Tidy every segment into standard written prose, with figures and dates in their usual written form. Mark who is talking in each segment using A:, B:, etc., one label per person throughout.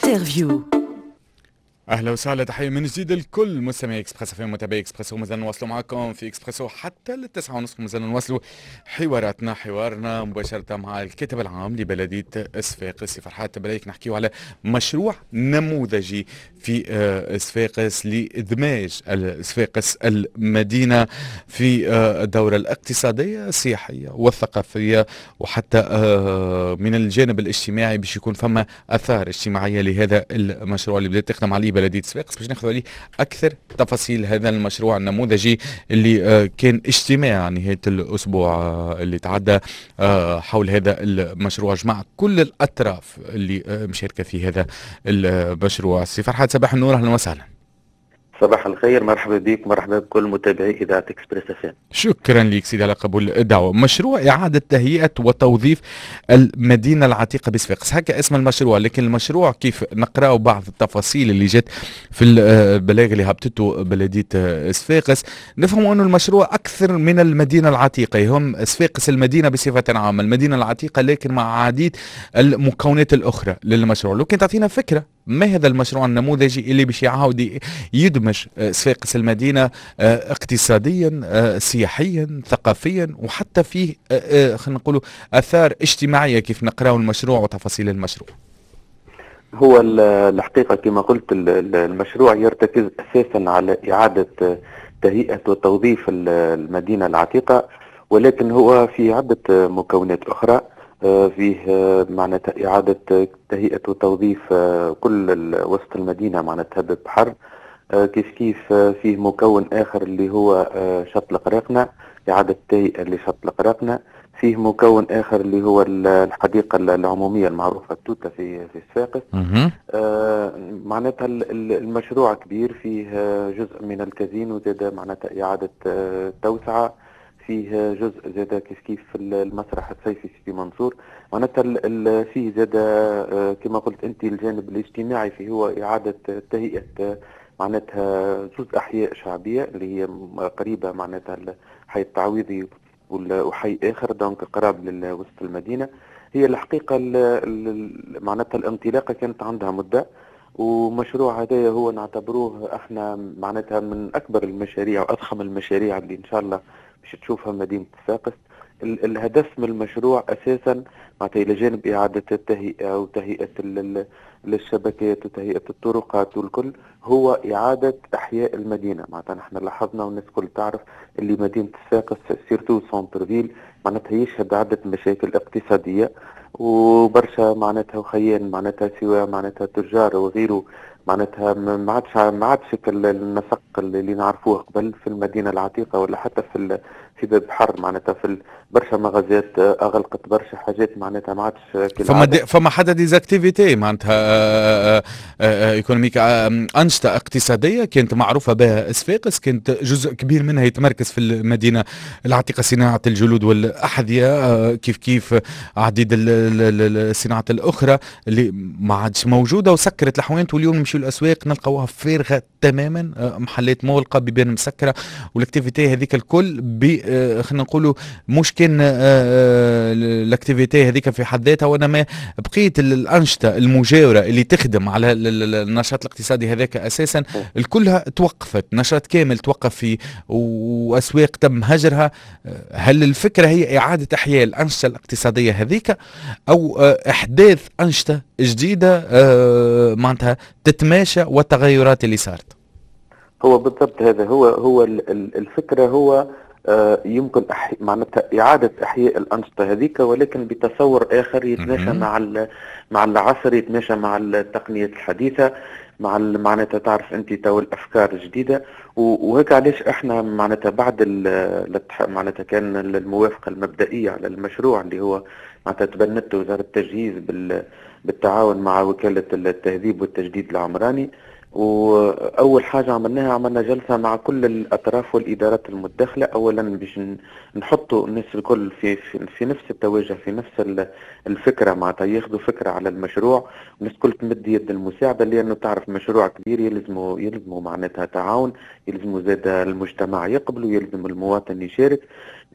A: Interview.
B: اهلا وسهلا، تحية من جديد لكل مستمعي اكسبريس في متابعي اكسبريسو. مازال نواصلوا معكم في اكسبريسو حتى ل9:30، مازال نواصلوا حواراتنا، حوارنا مباشرة مع الكاتب العام لبلديه صفاقس سي فرحات بريك. نحكيو على مشروع نموذجي في صفاقس لادماج صفاقس المدينة في الدورة الاقتصادية السياحية والثقافية وحتى من الجانب الاجتماعي، باش يكون فما اثار اجتماعية لهذا المشروع اللي بدات تخدم عليه بلديه صفاقس. باش ناخذ عليه اكثر تفاصيل هذا المشروع النموذجي اللي كان اجتماع نهاية الاسبوع اللي تعدى حول هذا المشروع، جمع كل الاطراف اللي مشاركة في هذا المشروع. سي فرحات، صباح النور، اهلا وسهلا.
C: صباح الخير، مرحبا بك، مرحبا بكل متابعي اذاعة اكسبريس اف.
B: شكرا لك سيدي على قبول الدعوه. مشروع اعاده تهيئة وتوظيف المدينة العتيقة بصفاقس، هكا اسم المشروع، لكن المشروع كيف نقرأ بعض التفاصيل اللي جت في البلاغ اللي هبطته بلديه صفاقس نفهم انه المشروع اكثر من المدينة العتيقه، يهم صفاقس المدينة بصفة عامة، المدينة العتيقة لكن مع عديد المكونات الاخرى للمشروع. لو كان تعطينا فكرة ما هذا المشروع النموذجي اللي باش يعاود يدمج صفاقس المدينة اقتصاديا، سياحيا، ثقافيا، وحتى فيه خلينا نقولوا اثار اجتماعية كيف نقراو المشروع وتفاصيل المشروع؟
C: هو الحقيقة كما قلت المشروع يرتكز اساسا على اعاده تهيئة وتوظيف المدينة العتيقه، ولكن هو في عده مكونات اخرى. فيه معناتها إعادة تهيئة وتوظيف كل وسط المدينة، معناتها بالبحر كيف كيف. فيه مكون آخر اللي هو شط القراقنة، إعادة تهيئة لشط القراقنة. فيه مكون اخر اللي هو الحديقة العمومية المعروفة التوته في صفاقس. معناتها المشروع كبير، فيه جزء من الكازينو زاد معناتها اعاده توسعه، فيه جزء زاد كيف كيف في المسرح الصيفي سيدي منصور. معناتها فيه زاد كما قلت انت الجانب الاجتماعي فيه، هو اعاده تهيئة معناتها زوز احياء شعبية اللي هي قريبه، معناتها الحي التعويضي وحي اخر، donc قراب لوسط المدينه. هي الحقيقة معناتها الانطلاقة كانت عندها مده، ومشروع هذايا هو نعتبروه احنا معناتها من اكبر المشاريع واضخم المشاريع اللي ان شاء الله باش تشوفها مدينة صفاقس. الهدف من المشروع اساسا معناتها الى جانب اعاده التهيئه وتهيئه للشبكات وتهيئه الطرقات والكل، هو اعاده احياء المدينه. معناتها نحن لاحظنا والناس الكل تعرف اللي مدينة صفاقس surtout centre-ville معناتها يشهد عده مشاكل اقتصاديه، وبرشا معناتها وخيان معناتها سواء معناتها تجار وغيره، معناتها ما عادش النسق اللي نعرفوه قبل في المدينة العتيقة ولا حتى في باب بحر. معناتها في برشا مغازات اغلقت، برشا حاجات معناتها ما عادش.
B: فما حتى des activités معناتها économiques، انشطة اقتصادية كانت معروفة بها صفاقس، كانت جزء كبير منها يتمركز في المدينة العتيقه، صناعة الجلود والاحذيه، كيف كيف عديد الصناعات الاخرى اللي ما عادش موجودة وسكرت الحوانت. واليوم نمشيو الاسواق نلقاوها فارغة تماما، محلات مغلقه، بيبان مسكره، وال activité هذيك الكل خلينا نقولوا مش كان l'activité هذيك في حد ذاتها، وانما بقية الانشطة المجاورة اللي تخدم على النشاط الاقتصادي هذاك اساسا الكلها توقفت. نشاط كامل توقف في واسواق تم هجرها. هل الفكرة هي اعاده احياء الانشطة الاقتصادية هذيك او احداث انشطة جديدة معناتها تتماشى والتغيرات اللي صارت؟
C: هو بالضبط هذا هو الفكره، هو يمكن معناتها إعادة إحياء الأنشطة هذيك ولكن بتصور آخر يتماشى مع العصر، يتماشى مع التقنيات الحديثة، مع معناتها تعرف أنت تو الأفكار الجديدة. وهيك علاش احنا معناتها بعد معناتها كان الموافقة المبدئية على المشروع اللي هو معناتها تبنته وزارة التجهيز بالتعاون مع وكالة التهذيب والتجديد العمراني، واول حاجة عملناها عملنا جلسه مع كل الاطراف والادارات المتداخله، اولا باش نحطوا الناس الكل في نفس التوجه، في نفس الفكره، معناتها ياخذوا فكرة على المشروع، والناس الكل تمد يد المساعده، لانه تعرف مشروع كبير يلزموا معناتها تعاون، يلزموا زاد المجتمع يقبلوا، يلزم المواطن يشارك.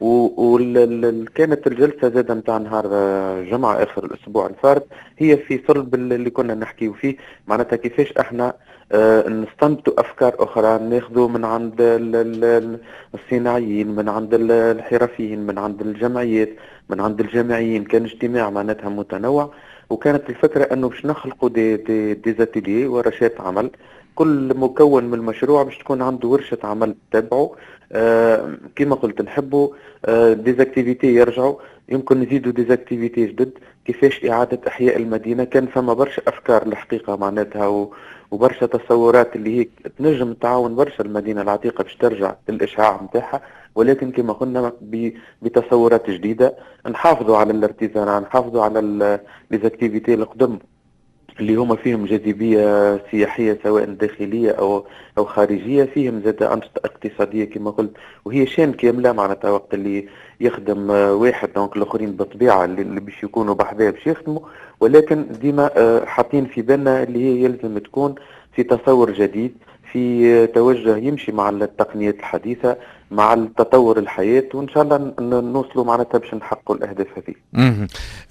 C: وكانت الجلسة زادة نتاع نهار الجمعة آخر الأسبوع الفارط هي في صلب اللي كنا نحكيو فيه، معناتها كيفاش احنا نستنبطوا أفكار أخرى، ناخذوا من عند الصناعيين، من عند الحرفيين، من عند الجمعيات، من عند الجامعيين. كان اجتماع معناتها متنوع، وكانت الفكرة أنه باش نخلقوا des ateliers، ورشات عمل، كل مكون من المشروع باش تكون عنده ورشة عمل تتبعه. كما قلت نحبوا des activités يرجعوا، يمكن نزيدوا des activités جدد، كيفاش إعادة إحياء المدينة. كان فما برشا أفكار الحقيقة معناتها وبرشا تصورات اللي هي تنجم تعاون برشا المدينة العتيقة باش ترجع للإشعاع نتاعها، ولكن كما قلنا بتصورات جديدة، نحافظوا على l'artisanat، نحافظوا على les activités القدم اللي هما فيهم جاذبية سياحية سواء داخلية أو خارجية، فيهم زاد أنشطة اقتصادية كما قلت، وهي chaîne كاملة معناتها وقت اللي يخدم واحد donc الآخرين بالطبيعة اللي باش يكونوا بحذاه باش يخدموا، ولكن ديما حاطين في بالنا اللي هي يلزم تكون في تصور جديد، في توجه يمشي مع التقنيات الحديثة، مع التطور الحياة، وإن شاء الله نوصلوا معناتها باش نحققوا الأهداف هذه.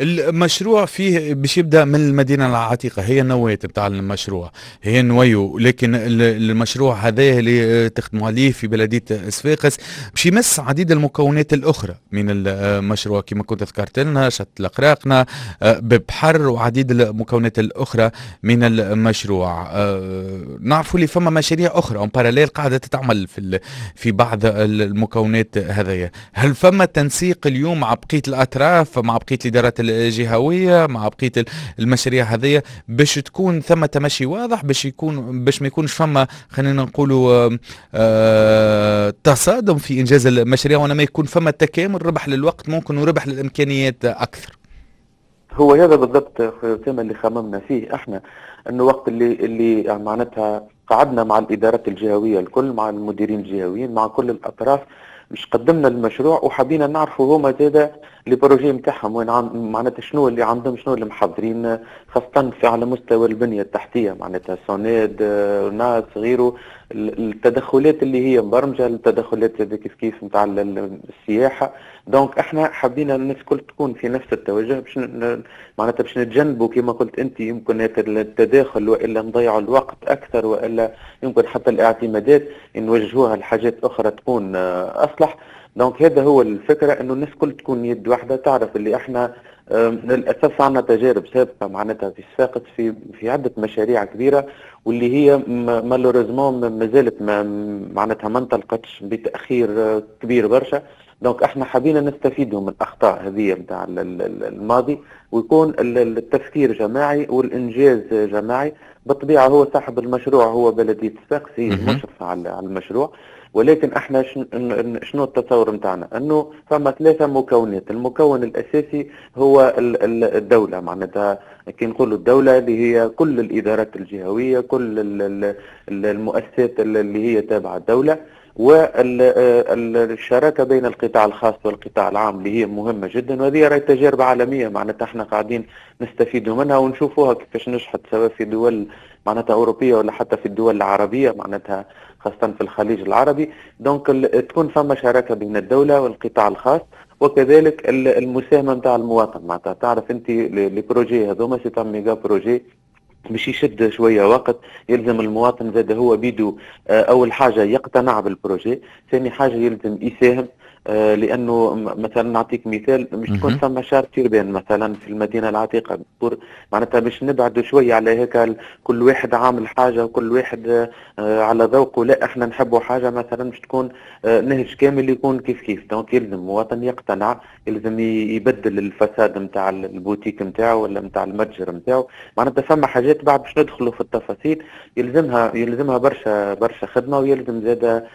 B: المشروع فيه باش يبدأ من المدينة العتيقة، هي النواة بتاع المشروع، هي noyau، لكن المشروع هذا اللي تخدموا عليه في بلدية صفاقس باش يمس عديد المكونات الأخرى من المشروع كما كنت ذكرت لنا، شط القراقنة، ببحر، وعديد المكونات الأخرى من المشروع. نعرفوا اللي فما مشاريع أخرى en parallèle قاعدة تتعمل في بعض المكونات هذيا. هل فما تنسيق اليوم مع بقية الأطراف، مع بقية الإدارات الجهوية، مع بقية المشاريع هذيا، باش تكون ثم تمشي واضح، باش ما يكونش فما خلينا نقولوا تصادم في إنجاز المشاريع، وإنما يكون فما تكامل، ربح للوقت ممكن وربح للإمكانيات أكثر؟
C: هو هذا بالضبط أسامة اللي خممنا فيه احنا، انه وقت اللي معناتها قعدنا مع الادارات الجهوية الكل، مع المديرين الجهويين، مع كل الاطراف، مش قدمنا المشروع وحبينا نعرفوا هما زاده les projets نتاعهم وين، معناتها شنو اللي عندهم، شنو اللي محضرين، خاصة في على مستوى البنية التحتية، معناتها SONEDE، ناس غيره، التدخلات اللي هي مبرمجة، التدخلات كيف كيف نتاع السياحة. donc احنا حبينا الناس الكل تكون في نفس التوجه باش معناتها باش نتجنبوا كما قلت انت يمكن التداخل، والا نضيعوا الوقت اكثر، والا يمكن حتى الاعتمادات نوجهوها لحاجات اخرى تكون اصلح. donc هذا هو الفكره، انه الناس الكل تكون يد واحده، تعرف اللي احنا للاسف عندنا تجارب سابقه معناتها في صفاقس في عده مشاريع كبيرة، واللي هي malheureusement ما زالت معناتها ما انطلقتش بتاخير كبير برشا. donc احنا حبينا نستفيدوا من الاخطاء هذه نتاع الماضي، ويكون التفكير جماعي والانجاز جماعي. بالطبيعة هو صاحب المشروع هو بلديه صفاقس، هي المشرفة على المشروع، ولكن احنا شنو التصور نتاعنا؟ انه فما ثلاثة مكونات، المكون الاساسي هو الدوله، معناتها كي نقولوا الدولة اللي هي كل الادارات الجهويه، كل المؤسسات اللي هي تابعه الدوله، والشراكه بين القطاع الخاص والقطاع العام اللي هي مهمة جدا، وهذه راهي تجارب عالميه، معناتها احنا قاعدين نستفيدوا منها ونشوفوها كيفاش نجحت سواء في دول معناتها اوروبية ولا حتى في الدول العربيه، معناتها خاصة في الخليج العربي. donc تكون فما شراكة بين الدولة والقطاع الخاص، وكذلك المساهمة نتاع المواطن. معناتها تعرف انت les projets هذوما c'est un méga projet باش يشد شوية وقت، يلزم المواطن زاد هو بيدو اول حاجة يقتنع بال projet، ثاني حاجة يلزم يساهم، لانه مثلا نعطيك مثال، مش تكون ثم charte urbaine مثلا في المدينة العتيقه، معناتها باش نبعدوا شوية على هيك كل واحد عامل حاجة وكل واحد على ذوقه، لا احنا نحبوا حاجة مثلا باش تكون نهج كامل يكون كيف كيف. donc يلزم المواطن يقتنع، يلزم يبدل ال façade نتاع البوتيك نتاعو ولا نتاع المتجر نتاعو. معناتها فما حاجات بعد باش ندخلوا في التفاصيل يلزمها برشا برشا خدمه، ويلزم زاده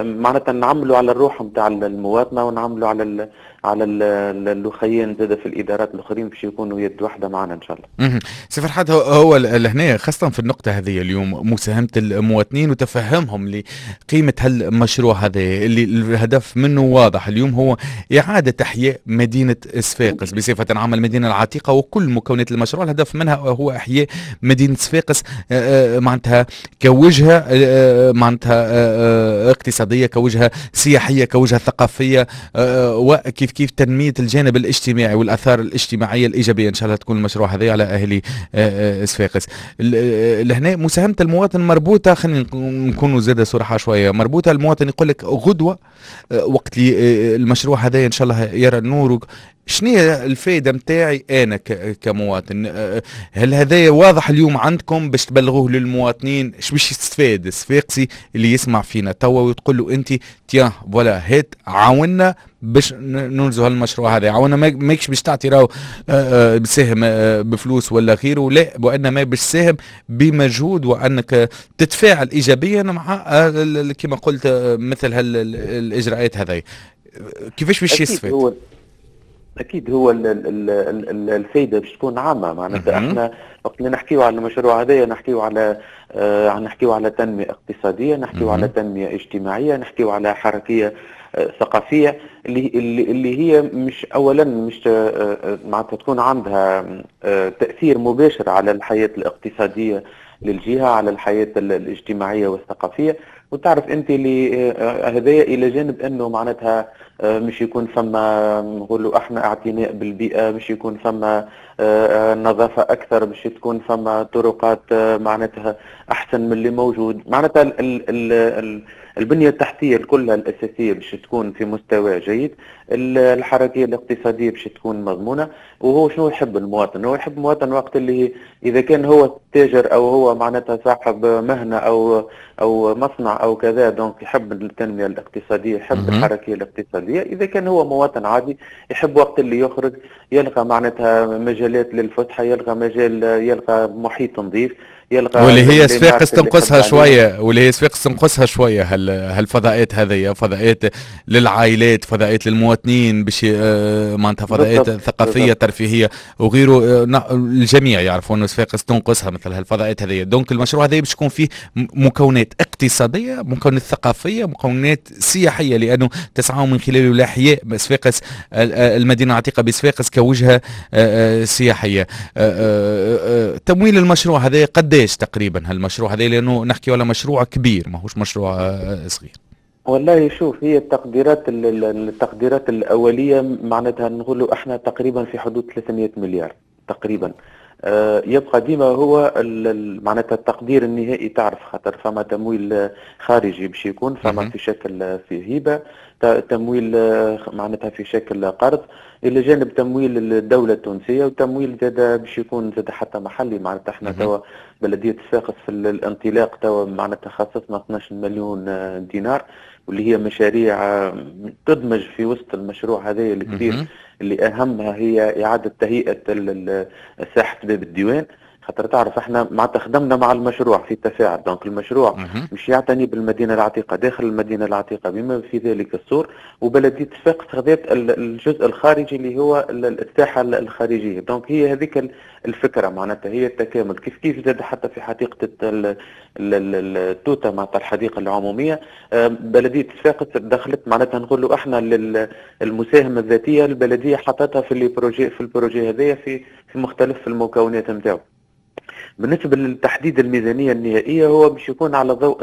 C: معناتها نعملوا على الروح نتاع المواطنة ونعملوا على على الاخيين زاد في الادارات الاخرين باش يكونوا يد واحدة معنا ان شاء الله.
B: سي فرحات، هو لهنا خاصة في النقطة هذه اليوم مساهمة المواطنين وتفهمهم لقيمة هالمشروع هذا اللي الهدف منه واضح اليوم، هو اعاده احياء مدينة صفاقس بصفة عامة، المدينة العتيقة وكل مكونات المشروع الهدف منها هو احياء مدينة صفاقس معناتها كوجهه معناتها اقتصاديه، كوجهه سياحيه، كوجهه ثقافيه، وكيف كيف تنمية الجانب الاجتماعي والاثار الاجتماعية الايجابية ان شاء الله تكون المشروع هذا على اهالي صفاقس. لهنا مساهمة المواطن مربوطه، خلينا نكونوا زاده صراحة شويه، مربوطة. المواطن يقول لك غدوه وقت اللي المشروع هذا ان شاء الله يرى النور، شنو هي الفائدة نتاعي انا كمواطن؟ هل هذا واضح اليوم عندكم باش تبلغوه للمواطنين؟ اش باش يستفاد الصفاقسي اللي يسمع فينا توا وتقول له انت tiens voilà هات عاونا باش ننجزوا هالمشروع هذا، عاونا ماكش باش تعطي راهو بساهم بفلوس ولا غيره، لا، وانما باش تساهم بمجهود وانك تتفاعل ايجابيا مع كما قلت مثل هالاجراءات هذه، كيفاش باش يستفاد؟
C: اكيد هو الفايدة باش تكون عامه، معناتها احنا وقت اللي نحكيو على المشروع هذايا نحكيو على تنمية اقتصاديه، نحكيو على تنمية اجتماعيه، نحكيو على حركية ثقافية اللي هي مش اولا مش معناتها تكون عندها تاثير مباشر على الحياة الاقتصادية للجهه، على الحياة الاجتماعية والثقافيه. وتعرف انت اللي هذايا الى جانب انه معناتها مش يكون فما نقولوا احنا اعتناء بالبيئه، مش يكون فما نظافة اكثر، مش تكون فما طرقات معناتها احسن من اللي موجود، معناتها ال ال البنية التحتية كلها الأساسية باش تكون في مستوى جيد، الحركية الاقتصادية باش تكون مضمونة. وهو شنو يحب المواطن؟ هو يحب المواطن وقت اللي إذا كان هو تاجر أو هو معناتها صاحب مهنة أو مصنع أو كذا، donc يحب التنمية الاقتصادية، يحب الحركية الاقتصادية. إذا كان هو مواطن عادي يحب وقت اللي يخرج يلقى معناتها مجالات للفسحة، يلقى مجال، يلقى محيط نظيف، يلقى
B: واللي هي صفاقس تنقصها شويه، واللي هي صفاقس تنقصها شوية هالفضاءات هذه، فضاءات للعائلات، فضاءات للمواطنين باش معناتها فضاءات ثقافية ترفيهية وغيره. الجميع يعرفوا انه صفاقس تنقصها مثل هالفضاءات هذه. donc المشروع هذا باش يكون فيه مكونات اقتصاديه، مكونات ثقافيه، مكونات سياحيه، لانه تسعى من خلاله لاحياء صفاقس، المدينة العتيقة بصفاقس كوجهه سياحيه. تمويل المشروع هذا قداش تقريبا هالمشروع هذا؟ لانه نحكي على مشروع كبير ماهوش مشروع صغير.
C: والله شوف، هي التقديرات الاولية معناتها نقولوا احنا تقريبا في حدود 300 مليار تقريبا. يبقى ديما هو معناتها التقدير النهائي، تعرف خاطر فما تمويل خارجي باش يكون فما في شكل في هبه، تمويل معناتها في شكل قرض، الى جانب تمويل الدولة التونسيه، وتمويل زاد باش يكون زاد حتى محلي. معناتها احنا توا بلديه صفاقس في الانطلاق توا معناتها خصصنا 12 مليون دينار، واللي هي مشاريع تدمج في وسط المشروع هذا الكبير اللي اهمها هي اعاده تهيئة ساحة باب الديوان. خاطر تعرف احنا معناتها خدمنا مع المشروع في تفاعل، donc المشروع مش يعتني بالمدينة العتيقه، داخل المدينة العتيقة بما في ذلك السور، وبلديه صفاقس خذت الجزء الخارجي اللي هو الساحة الخارجيه. donc هي هذيك الفكره، معناتها هي التكامل. كيف كيف زاد حتى في حديقة التوته، معناتها الحديقة العموميه، بلديه صفاقس دخلت معناتها نقولوا احنا المساهمة الذاتيه، البلدية حطتها في les projets، في ال projet هذايا في مختلف المكونات نتاعو. بالنسبة لتحديد الميزانية النهائية هو باش يكون على ضوء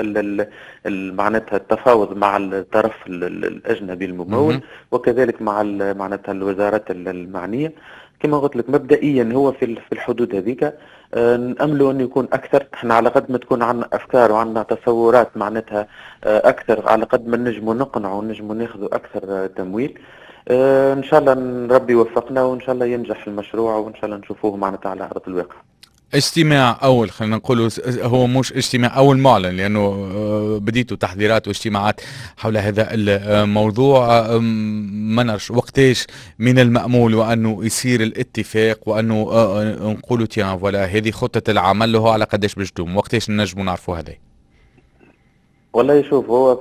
C: معناتها التفاوض مع الطرف الأجنبي الممول وكذلك مع معناتها الوزارات المعنية. كما قلت لك مبدئيا هو في الحدود هذيك، نأملوا أن يكون أكثر. احنا على قد ما تكون عندنا أفكار وعندنا تصورات معناتها أكثر، على قد ما نجموا نقنعوا ونجموا ناخذوا أكثر تمويل. ان شاء الله ربي يوفقنا وان شاء الله ينجح المشروع وان شاء الله نشوفوه معناتها على ارض الواقع.
B: اجتماع اول، خلينا نقولوا هو مش اجتماع اول معلن، لانه بديتوا تحضيرات واجتماعات حول هذا الموضوع. ما نعرفش وقتاش من المامول وانه يصير الاتفاق وانه نقولوا tiens voilà هذه خطه العمل له على قداش باش تدوم، وقتاش نجموا نعرفوا هذا؟
C: والله شوف، هو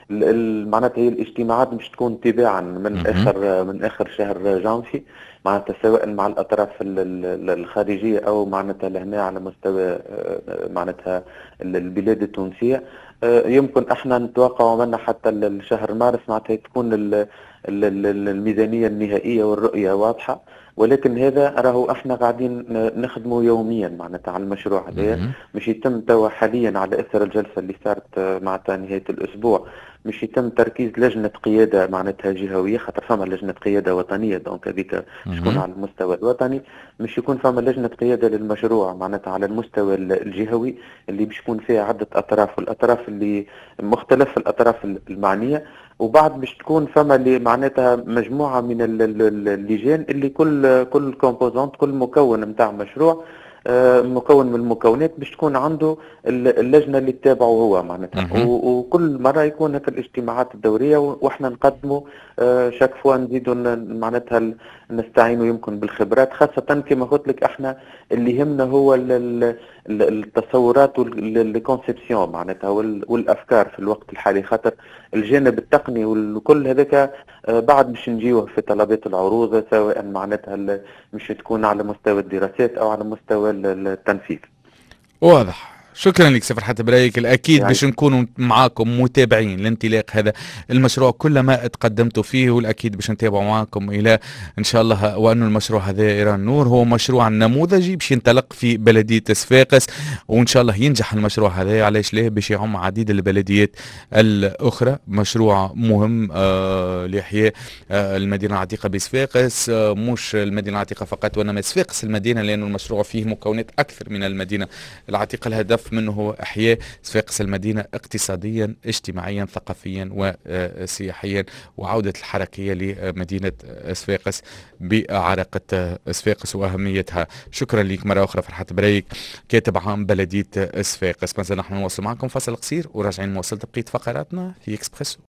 C: معناتها هي الاجتماعات باش تكون تباعا من اخر شهر جانفي، معناتها سواء مع الاطراف الخارجية او معناتها لهنا على مستوى معناتها البلاد التونسيه. يمكن احنا نتوقع منا حتى الشهر مارس معناتها تكون الميزانية النهائية والرؤية واضحه، ولكن هذا راهو احنا قاعدين نخدمه يوميا معناتها على المشروع هذا. مش يتم توا حاليا على اثر الجلسة اللي صارت معناتها نهاية الاسبوع، مش يتم تركيز لجنة قيادة معناتها جهويه، خاطر فما لجنة قيادة وطنيه، donc هذيك تكون على المستوى الوطني. مش يكون فما لجنة قيادة للمشروع معناتها على المستوى الجهوي اللي باش يكون فيها عده اطراف، والاطراف اللي مختلف الاطراف المعنيه. وبعد باش تكون فما اللي معناتها مجموعة من اللجان اللي كل composante، كل مكون نتاع مشروع، مكون من المكونات، باش تكون عنده اللجنة اللي تتابعه هو معناتها. وكل مرة يكون هكا الاجتماعات الدوريه، واحنا نقدموا chaque fois نزيدوا معناتها نستعينوا يمكن بالخبرات، خاصة كما قلت لك احنا اللي يهمنا هو التصورات وال conceptions معناتها والافكار في الوقت الحالي، خاطر الجانب التقني والكل هذاك بعد باش نجيوه في طلبات العروض، سواء معناتها مش تكون على مستوى الدراسات او على مستوى التنفيذ.
B: واضح، شكرا لك سي فرحات برايك. الاكيد يعني باش نكونوا معاكم متابعين لانطلاق هذا المشروع كلما تقدمتوا فيه، والاكيد باش نتابعوا معاكم الى ان شاء الله وأن المشروع هذا يرى النور. هو مشروع نموذجي باش ينطلق في بلديه صفاقس، وان شاء الله ينجح المشروع هذا، علاش ليه، باش يعم عديد البلديات الاخرى. مشروع مهم لاحياء المدينة العتيقة بصفاقس، مش المدينة العتيقة فقط وانما صفاقس المدينه، لأن المشروع فيه مكونات اكثر من المدينة العتيقه. الهدف منه هو إحياء صفاقس المدينة اقتصاديا، اجتماعيا، ثقافيا وسياحيا، وعودة الحركية لمدينة صفاقس بعراقة صفاقس وأهميتها. شكرا لك مرة أخرى فرحات بريك، كاتب عام بلدية صفاقس. مازال نحن نواصل معكم، فاصل قصير وراجعين نواصل بقية فقراتنا في اكسبريسو.